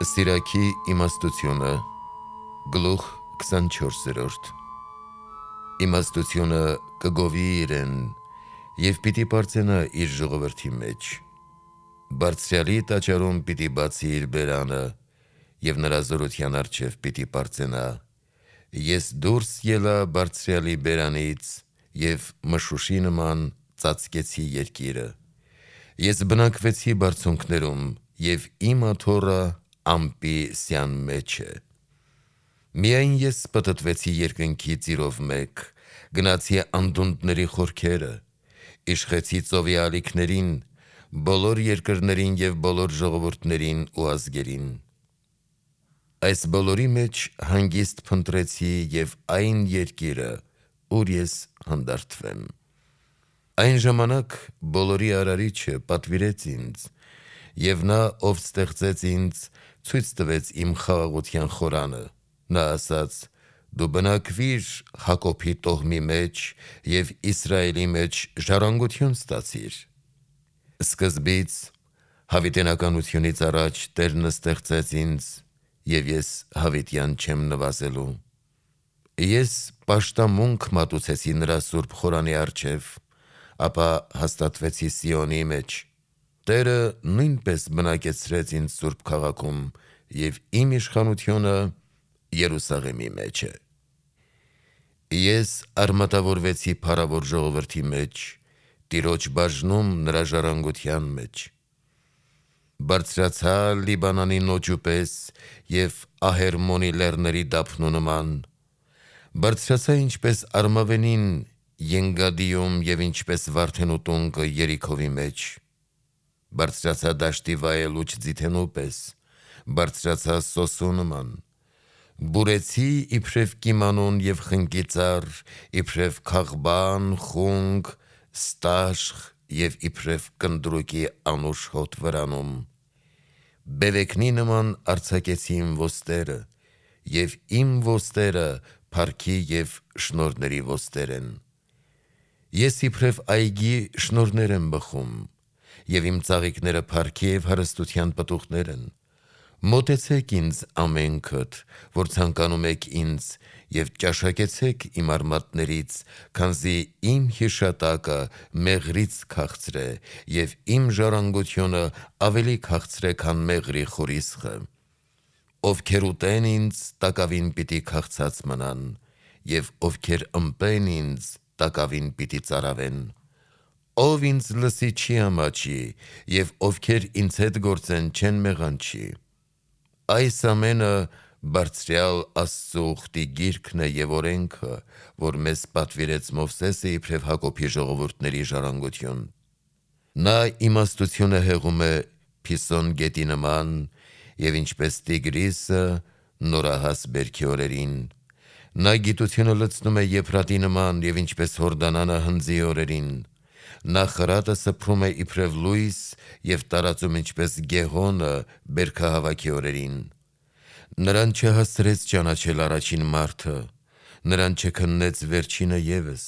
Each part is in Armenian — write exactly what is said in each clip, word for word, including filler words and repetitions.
Սիրակի իմաստությունը գլուխ քսանչորսերորդ Իմաստությունը կգովի իրեն և պիտի պարծենա իր ժողովրդի մեջ։ Բարձրյալի տաճարում պիտի բացի իր բերանը և նրա զորության առջև պիտի պարծենա։ Ես դուրս ելա բարձրյալի բերանից և մշուշի նման ծածկեցի երկիրը։ Ես բնակվեցի բարձունքներում և իմ աթոռը ամպի սյան մեջ է։ Միայն ես պտտվեցի երկնքի ծիրով մեկ, գնացի անդունդների խորքերը, իշխեցի ծովի ալիքներին, բոլոր երկրներին և բոլոր ժողովուրդներին ու ազգերին։ Այս բոլորի մեջ հանգիստ փնտրեցի և այն երկիրը, ուր ես հանդարտվեմ։ Այն ժամանակ բոլորի արարիչը պատվիրեց ինձ, և նա, ով ստեղծեց ինձ, ցույց տվեց իմ խաղաղության խորանը։ Նա ասաց. «Դու բնակվիր Հակոբի տոհմի մեջ և Իսրայելի մեջ ժառանգություն ստացիր»։ Սկզբից հավիտենականությունից առաջ Տերն ստեղծեց ինձ, և ես հավիտյան չեմ նվազելու։ Ես պաշտամունք մատուցեցի նրա սուրբ խորանի առջև, ապա հաստատվեցի Սիոնի մեջ։ Տերը նույնպես բնակեցրեց ինձ սուրբ քաղաքում, և իմ իշխանությունը Երուսաղեմի մեջ է։ Ես արմատավորվեցի փառավոր ժողովրդի մեջ, Տիրոջ բաժնում նրա ժառանգության մեջ։ Բարձրացա Լիբանանի նոճու պես և Ահերմոնի լեռների դափնու նման։ Բարձրացա ինչպես արմավենին Ենգադիում և ինչպես վարդենու տունկը Երիքովի մեջ։ Բարձրացա դաշտի վայելուչ ձիթենու պես, բարձրացա սոսու նման։ Բուրեցի իբրև կիմանուն և խնկի ծառ, իբրև քաղբան, խունգ, ստաշղ և իբրև կնդրուկի անուշ հոտ վրանում։ Բևեկնի նման արձակեցի իմ ոստերը, և իմ ոստերը փառքի և շնորհների ոստեր են։ Ես իբրև այգի շնորհներ եմ բխում, և իմ ծաղիկները փառքի և հարստության պտուղներ են։ Մոտեցեք ինձ ամենքդ, որ ցանկանում եք ինձ, և ճաշակեցեք իմ արմատներից, քանզի իմ հիշատակը մեղրից քաղցր է, և իմ ժառանգությունը ավելի քաղցր է, քան մեղրի խորիսխը։ Ովքեր ուտեն ինձ, տակավին պիտի քաղցած մնան, և ովքեր ըմպեն ինձ, տակավին պիտի ծարավեն։ Ով ինձ լսի չի ամաչի, և ովքեր ինձ հետ գործեն չեն մեղանչի։ Այս ամենը Բարձրյալ Աստծու ուխտի գիրքն է և օրենքը, որ մեզ պատվիրեց Մովսեսը իբրև Հակոբի ժողովուրդների ժառանգություն։ Նա իմաստությունը հեղում է Փիսոն գետի նման, և ինչպես Տիգրիսը նորահաս բերքի օրերին։ Նա գիտությունը լցնում է Եփրատի նման, և ինչպես Հորդանանը հնձի օրերին։ Նա խրատը սփռում է իբրև լույս և տարածում ինչպես Գեհոնը բերքահավաքի օրերին։ Նրան չհասցրեց ճանաչել առաջին մարդը, նրան չքննեց վերջինը ևս,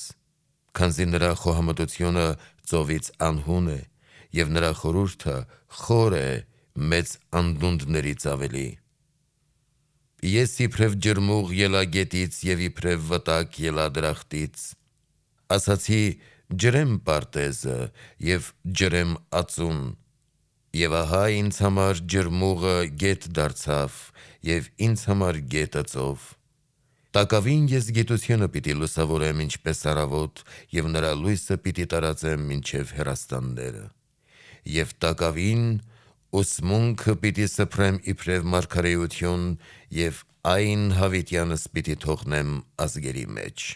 քանզի նրա խոհամտությունը ծովից անհուն է, և նրա խորհուրդը խոր է մեծ անդունդներից ավելի։ Ես իբրև ջրմուղ ելա գետից և իբրև վտակ ելա դրախտից։ Ասացի. «Ջրեմ պարտեզը և ջրեմ ածուն»։ Եվ ահա ինձ համար ջրմուղը գետ դարձավ, և ինձ համար գետը ծով։ Տակավին ես գիտությունը պիտի լուսավորեմ ինչպես առավոտ, և նրա լույսը պիտի տարածեմ մինչև հեռաստանները։ Եվ տակավին ուսմունքը պիտի սփռեմ իբրև մարգարեություն, և այն հավիտյանս պիտի թողնեմ ազգերի մեջ։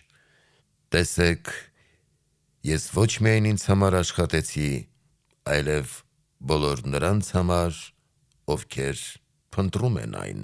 Տեսեք, ես ոչ միայն ինձ համար աշխատեցի, այլև բոլոր նրանց համար, ովքեր փնտրում են այն։